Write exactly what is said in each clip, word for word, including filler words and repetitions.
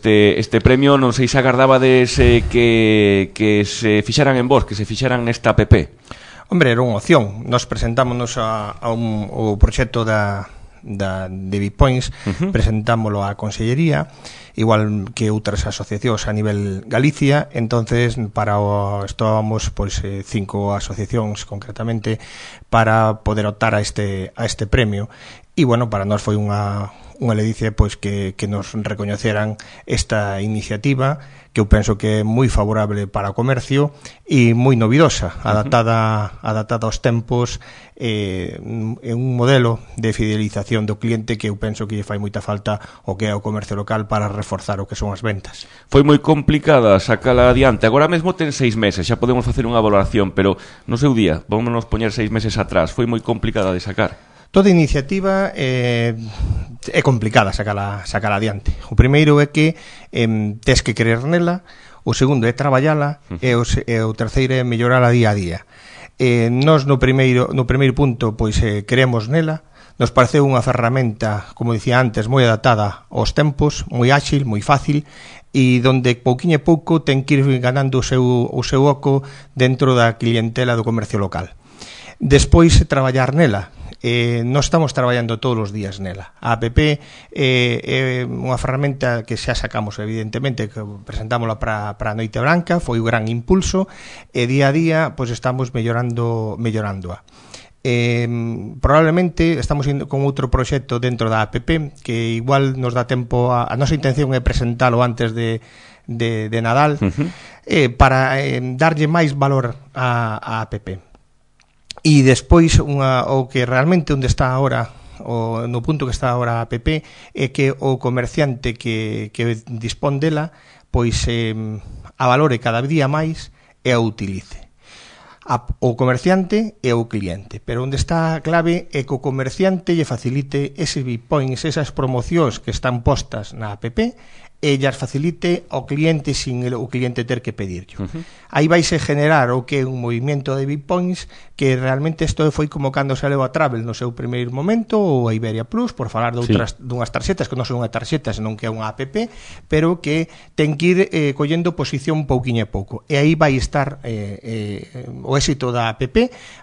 este, este premio. Non sei se agardabades eh, que, que se fixaran en vos, que se fixaran nesta app. Hombre, era unha opción. Nos presentámonos a, a un, o proxecto da, da, de Bitpoints, uh-huh. presentámoslo á Consellería, igual que outras asociacións a nivel Galicia. Entonces para o, estábamos pois eh, cinco asociacións concretamente para poder optar a este a este premio, e bueno, para nós foi unha unha ledicia pois que, que nos recoñeceran esta iniciativa, que eu penso que é moi favorable para o comercio e moi novidosa, adaptada adaptada aos tempos, eh, en un modelo de fidelización do cliente que eu penso que lle fai moita falta o que é o comercio local para reforzar o que son as ventas. Foi moi complicada sacala adiante. Agora mesmo ten seis meses, xa podemos facer unha valoración, pero no seu día, vámonos poñer seis meses atrás, foi moi complicada de sacar. Toda iniciativa eh, é complicada sacala, sacala adiante. O primeiro é que eh, tes que querer nela, o segundo é traballala, uh-huh. e, o, e o terceiro é mellorala día a día. Eh, nós no primeiro, no primeiro punto pois eh, queremos nela, nos pareceu unha ferramenta, como dicía antes, moi adaptada aos tempos, moi áxil, moi fácil, e donde pouquiño e pouco ten que ir ganando o seu, o seu oco dentro da clientela do comercio local. Despois traballar nela. Eh, non estamos traballando todos os días nela. A app é eh, eh, unha ferramenta que xa sacamos, evidentemente, que presentámola para, para a Noite Branca, foi un gran impulso, e día a día pois estamos mellorando mellorándoa. Eh, probablemente estamos indo con outro proxecto dentro da app que igual nos dá tempo a, a nosa intención é presentalo antes de de, de Nadal, uh-huh. eh, para eh, darlle máis valor á app. E despois unha, o que realmente onde está agora, o, no punto que está agora a app, é que o comerciante que, que dispón dela pois eh, a valore cada día máis e a utilice. A, o comerciante e o cliente, pero onde está a clave é que o comerciante lle facilite ese Bitpoints, esas promocións que están postas na app, e llas facilite ao cliente sin el, o cliente ter que pedirlo. Uh-huh. Aí vaise generar o que é un movimento de Bitpoints que realmente isto foi como cando saleu a Travel no seu primeiro momento, ou a Iberia Plus, por falar de outras, sí. dunhas tarxetas que non son unha tarxeta, senón que é unha app, pero que ten que ir eh, collendo posición pouquiño a pouco. E aí vai estar eh, eh, o éxito da app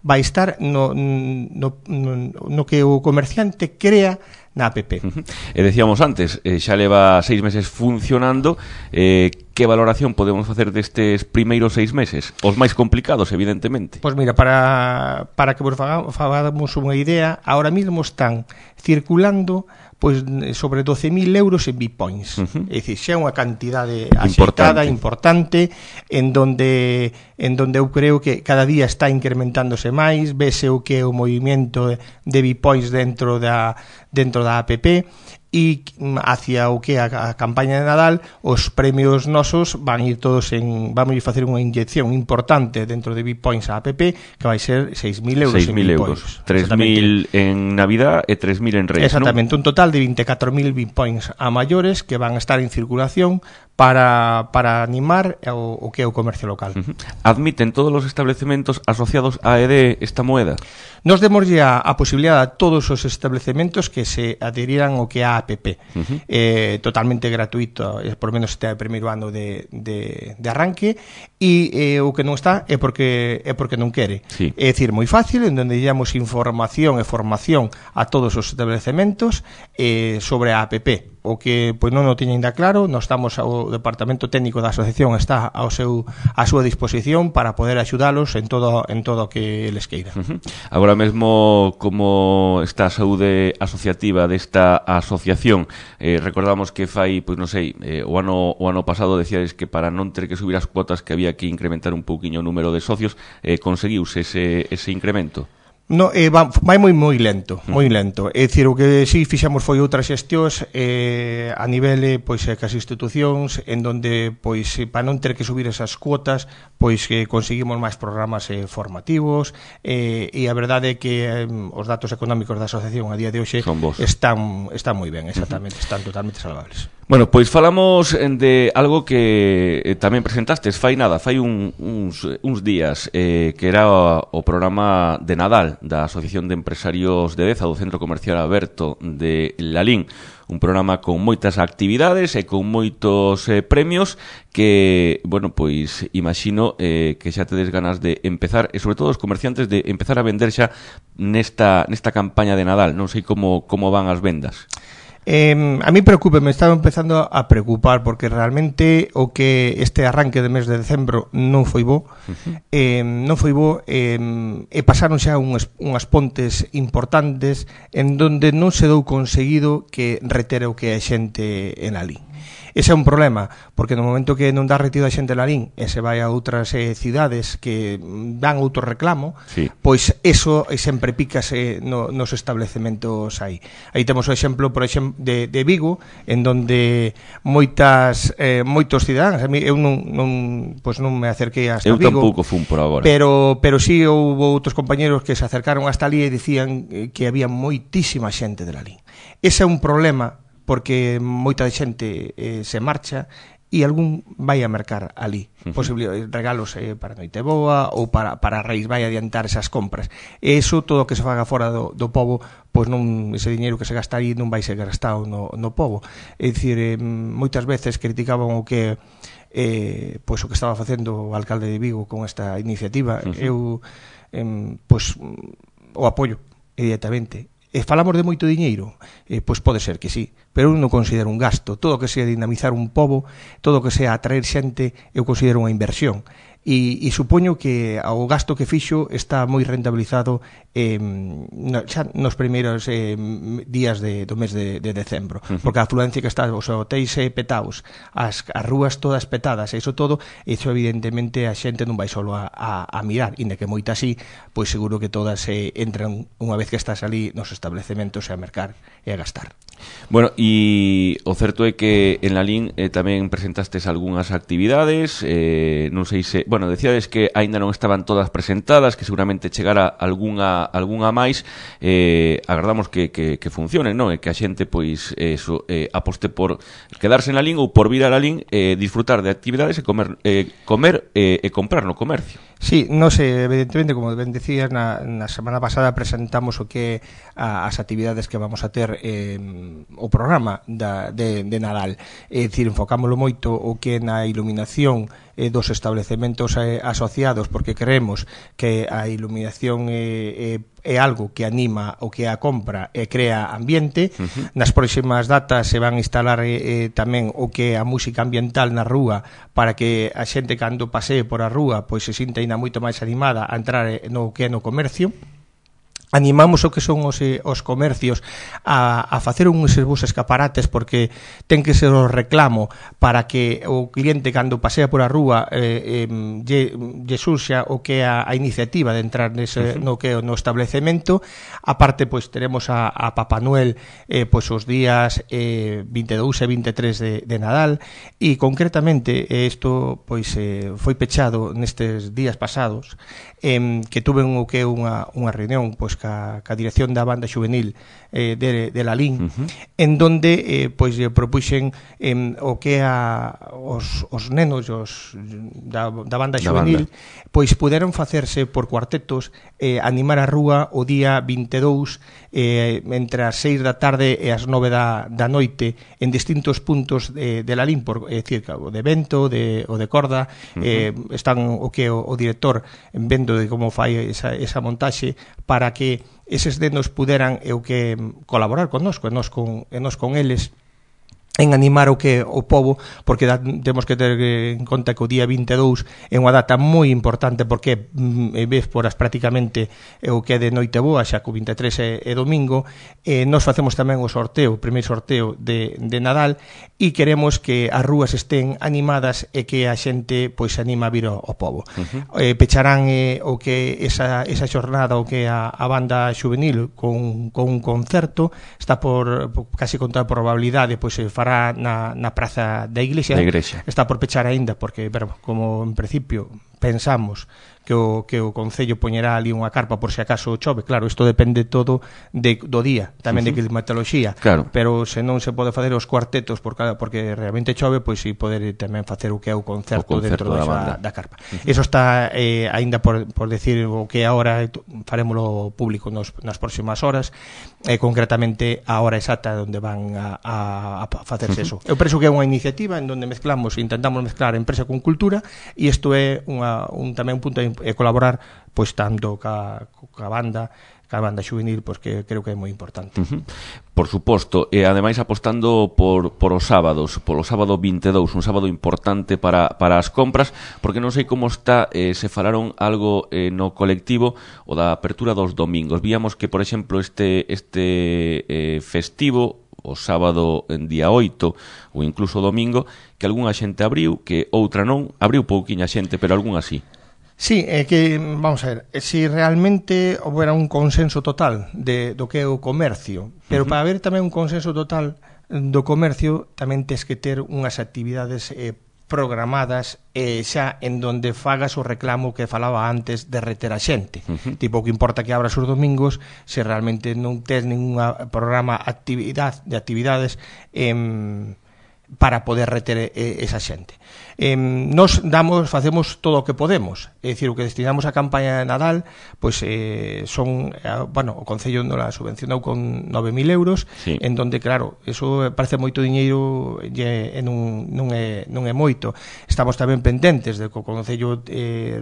vai estar no, no, no, no que o comerciante crea na app. Uh-huh. E decíamos antes, eh, xa leva seis meses funcionando, eh, que valoración podemos facer destes primeiros seis meses? Os máis complicados, evidentemente. Pois mira, para, para que vos fagamos unha idea, ahora mismo están circulando pois sobre doce mil euros en Bitpoints. Uh-huh. É dicir, xa é unha cantidade axeitada, importante, en donde en donde eu creo que cada día está incrementándose máis, vese o que é o movimento de Bitpoints dentro da dentro da app, e hacia o que é a, a campaña de Nadal, os premios nosos van ir todos en, vamos a facer unha inyección importante dentro de Bitpoints a app, que vai ser seis mil euros en Bitpoints. tres mil en Navidad e tres mil en Reyes. Exactamente, ¿no? Un total de veinticuatro mil Bitpoints a maiores que van a estar en circulación para, para animar o, o que é o comercio local. Uh-huh. Admiten todos os establecementos asociados a E D esta moeda? Nos demos ya a posibilidade a todos os establecementos que se adheriran ao que é a app. Uh-huh. eh, totalmente gratuito, eh, por menos este primeiro ano de, de, de arranque, e eh, o que non está é porque é porque non quere. Sí. É dicir, moi fácil, en donde damos información e formación a todos os establecementos eh, sobre a app. O que pois non o tiña ainda claro, nós estamos ao departamento técnico da asociación, está ao seu a súa disposición para poder axudalos en todo en todo o que eles queiran. Uh-huh. Agora mesmo, como está a saúde asociativa desta asociación, eh, recordamos que fai, pois non sei, eh, o ano o ano pasado decíades que para non ter que subir as cuotas que había que incrementar un pouquiño o número de socios, eh, conseguiuse ese ese incremento. No, eh, va, vai moi moi lento, moi lento. É dicir, o que si fixamos foi outras xestións eh, a nivel pois que as institucións en donde pois para non ter que subir esas cuotas, pois que conseguimos máis programas eh, formativos, eh, e a verdade é que eh, os datos económicos da asociación a día de hoxe están están moi ben, exactamente, uh-huh. están totalmente salvables. Bueno, pois falamos de algo que eh, tamén presentastes fai nada, fai un, uns, uns días, eh, que era o, o programa de Nadal da Asociación de Empresarios de Deza, do Centro Comercial Aberto de Lalín, un programa con moitas actividades e con moitos eh, premios que, bueno, pois imagino eh, que xa tedes ganas de empezar, e sobre todo os comerciantes de empezar a vender xa nesta, nesta campaña de Nadal. Non sei como, como van as vendas. Eh, a mí preocupe, me estaba empezando a preocupar porque realmente o que este arranque de mes de decembro non foi bo, uh-huh. eh, non foi bo eh, e pasaron xa unhas, unhas pontes importantes en donde non se dou conseguido que retere o que a xente en Lalín. Ese é un problema, porque no momento que non dá retido a xente en Lalín e se vai a outras eh, cidades que dan outro reclamo, sí. Pois eso sempre pícase no, nos establecementos aí. Aí temos o exemplo, por exemplo, de, de Vigo, en donde moitas eh, moitos cidadáns, a mí eu non, non, pois non me acerquei hasta eu Vigo. Eu tampouco fun por agora. Pero, pero sí houve outros compañeros que se acercaron hasta ali e dicían que había moitísima xente de Lalín. Ese é un problema, porque moita xente eh, se marcha e algún vai a mercar ali. Uh-huh. Posible regalos eh, para Noiteboa ou para, para Reis, vai a adiantar esas compras. E iso, todo o que se faga fora do, do pobo, pois non, ese diñeiro que se gasta aí non vai ser gastado no, no pobo. É dicir, eh, moitas veces criticaban o que eh, pois o que estaba facendo o alcalde de Vigo con esta iniciativa. Uh-huh. Eu eh, pois o apoio inmediatamente. E falamos de moito diñeiro, eh, pois pode ser que sí, pero eu non considero un gasto. Todo o que sea dinamizar un pobo, todo o que sea atraer xente, eu considero unha inversión. E, e supoño que o gasto que fixo está moi rentabilizado eh, no, xa nos primeiros eh, días de, do mes de, de decembro, uh-huh. Porque a afluencia que está, os hotéis eh, petados, as, as rúas todas petadas, e iso todo, iso evidentemente a xente non vai solo a, a, a mirar, inda que moita así, pois seguro que todas eh, entran unha vez que estás ali nos establecementos a mercar e a gastar. Bueno, e o certo é que en Lalín eh, tamén presentastes algunhas actividades, eh, non sei se... Bueno, decíades que aínda non estaban todas presentadas, que seguramente chegara algunha, algunha máis, eh, agardamos que, que, que funcionen, non? E que a xente, pois, eso, eh, aposte por quedarse en Lalín ou por vir a Lalín, eh, disfrutar de actividades e comer, eh, comer eh, e comprar no comercio. Sí, non sei, evidentemente, como ben decías, na, na semana pasada presentamos o que a, as actividades que vamos a ter eh, o programa da, de, de Nadal. É dicir, enfocámoslo moito o que na iluminación eh, dos establecementos eh, asociados, porque creemos que a iluminación é, é, é algo que anima o que a compra e crea ambiente. Uh-huh. Nas próximas datas se van a instalar eh, tamén o que a música ambiental na rúa, para que a xente cando pasee por a rúa pois se sinta ainda moito máis animada a entrar no que é no comercio. Animamos o que son os, eh, os comercios a, a facer uns bons escaparates, porque ten que ser o reclamo para que o cliente cando pasea por a rúa eh, eh, lle, lle surxa o que é a, a iniciativa de entrar nese, uh-huh. no que no establecemento. Aparte, pois teremos a, a Papá Noel eh, pois os días eh, vinte e dous e vinte e tres de, de Nadal, e concretamente isto pois eh, foi pechado nestes días pasados, eh, que tuve o que é unha, unha reunión pois ca, ca dirección da banda juvenil eh, de, de Lalín, uh-huh. en donde eh, pois propuxen eh, o que a os, os nenos os, da, da banda juvenil da banda. Pois puderon facerse por cuartetos, eh, animar a rúa o día vinte e dous eh, entre as seis da tarde e as nove da, da noite en distintos puntos de, de Lalín, por, é dicir, o de vento de, o de corda, uh-huh. eh, están o que o, o director vendo de como fai esa, esa montaxe para que eses nenos puderan e o que colaborar con nos, e nos con, e nos con eles en animar o que o pobo, porque da, temos que ter en conta que o día vinte e dous é unha data moi importante, porque é ves por as prácticamente o que é de Noiteboa, xa que o vinte e tres é, é domingo. E nos facemos tamén o sorteo, o primeiro sorteo de, de Nadal, e queremos que as rúas estén animadas e que a xente pois se anima a vir ao, ao pobo. Uh-huh. Eh, pecharán eh, o que esa, esa xornada o que a, a banda juvenil con, con un concerto, está por, por casi con toda probabilidade pois se fará na, na praza da iglesia. da iglesia. Está por pechar aínda porque, pero, como en principio pensamos que o, que o Concello poñerá ali unha carpa por se acaso chove. Claro, isto depende todo de, do día, tamén uh -huh. de climatoloxía, claro. Pero se non se pode facer os cuartetos por cada, porque realmente chove, pois si poder tamén facer o que é o concerto, o concerto dentro da, da carpa. Uh -huh. Eso está eh, aínda por, por decir o que agora farémolo público nos, nas próximas horas, eh, concretamente a hora exacta onde van a, a, a facerse uh -huh. eso. Eu penso que é unha iniciativa en onde mezclamos, intentamos mezclar empresa con cultura, e isto é unha, un, tamén un punto de e colaborar pois tanto ca, ca banda ca banda xuvenil, pois que creo que é moi importante. Uh -huh. Por suposto, e ademais apostando por, por os sábados, polo sábado vinte e dous, un sábado importante para, para as compras, porque non sei como está, eh, se falaron algo eh, no colectivo o da apertura dos domingos. Víamos que, por exemplo, este, este eh, festivo o sábado en día oito ou incluso o domingo, que algunha xente abriu, que outra non, abriu pouquiña xente, pero algunha sí. Sí, é que, vamos a ver, se si realmente houbera un consenso total de, do que é o comercio, pero uh -huh. para haber tamén un consenso total do comercio tamén tes que ter unhas actividades eh, programadas eh, xa en donde fagas o reclamo que falaba antes de reter a xente. Uh -huh. Tipo, que importa que abras os domingos se realmente non tes ningún programa actividade, de actividades eh, para poder reter eh, esa xente. Eh, nos damos, facemos todo o que podemos, é dicir, o que destinamos a campaña de Nadal, pois eh, son, eh, bueno, o Concello nos la subvencionou con nove mil euros, sí. En donde, claro, eso parece moito diñeiro e non, non, é, non é moito. Estamos tamén pendentes de que o Concello eh,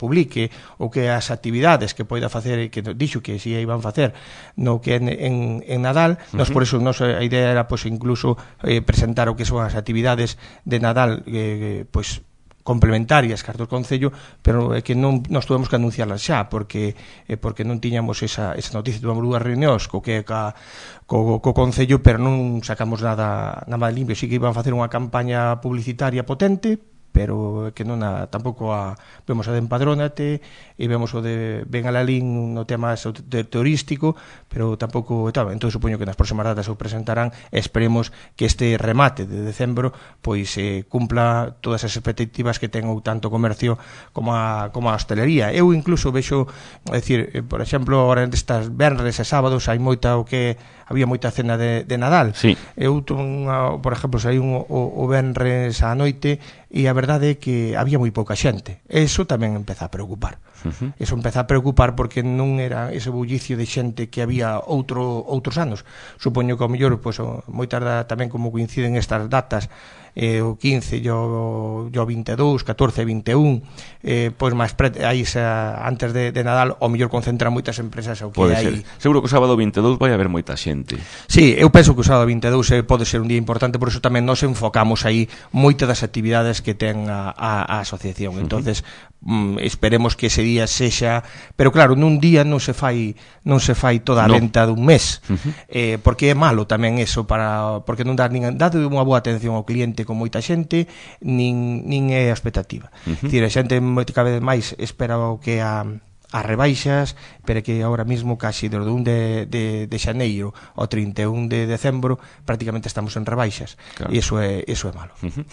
publique o que as actividades que poida facer, que dixo que si iban facer no que en, en, en Nadal, uh -huh. Nos por eso nos, a idea era pois incluso eh, presentar o que son as actividades de Nadal eh, pois complementarias que do Concello, pero é que non nos tuvemos que anunciarlas xa porque eh, porque non tiñamos esa, esa noticia. Tuvamos dúas reunións co que ca, co, co Concello, pero non sacamos nada nada limpio. Si que iban a facer unha campaña publicitaria potente, pero que non a, tampouco a, vemos a de Empadrónate e vemos o de Ben Alalín no tema de turístico, pero tampouco tal. Entón supoño que nas próximas datas o presentarán e esperemos que este remate de decembro pois eh, cumpla todas as expectativas que ten o tanto comercio como a, como a hostelería. Eu incluso vexo, é dicir, eh, por exemplo, agora nestas venres e sábados hai moita o que había moita cena de, de Nadal. Sí. Eu, unha, por exemplo, saí un, o, o venres á noite e a verdade é que había moi pouca xente. Eso tamén empeza a preocupar. Uh -huh. Eso empeza a preocupar porque non era ese bullicio de xente que había outro outros anos. Supoño que ao mellor, pois, moi tarda tamén como coinciden estas datas, eh, o quince e o, o vinte e dous, catorce e vinte e un, eh, pois máis aí xa, antes de, de Nadal, ao mellor concentran moitas empresas ao que pode hai. Ser. Seguro que o sábado vinte e dous vai haber moita xente. Sí, eu penso que o sábado vinte e dous eh, pode ser un día importante, por iso tamén nos enfocamos aí moitas das actividades que ten a, a, a asociación. Entonces, uh -huh. mm, esperemos que ese día sexa, pero claro, nun día non se fai non se fai toda a no. venta dun mes. Uh -huh. Eh, porque é malo tamén eso para porque non dá nin dá unha boa atención ao cliente con moita xente, nin nin é a expectativa. Uh -huh. Dicir, a xente cada vez máis espera o que a as rebaixas, pero que ahora mismo casi desde o un de, de, de xaneiro ao trinta e un de decembro prácticamente estamos en rebaixas, claro. E iso é, iso é malo. Uh -huh.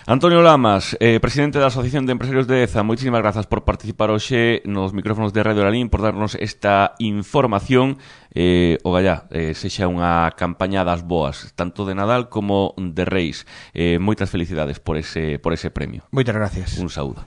Antonio Lamas, eh, presidente da Asociación de Empresarios de Deza, moitísimas grazas por participar hoxe nos micrófonos de Radio Lalín, por darnos esta información. Eh, o gallá, eh, sexa unha campaña das boas, tanto de Nadal como de Reis. Eh, moitas felicidades por ese, por ese premio. Moitas gracias. Un saúdo.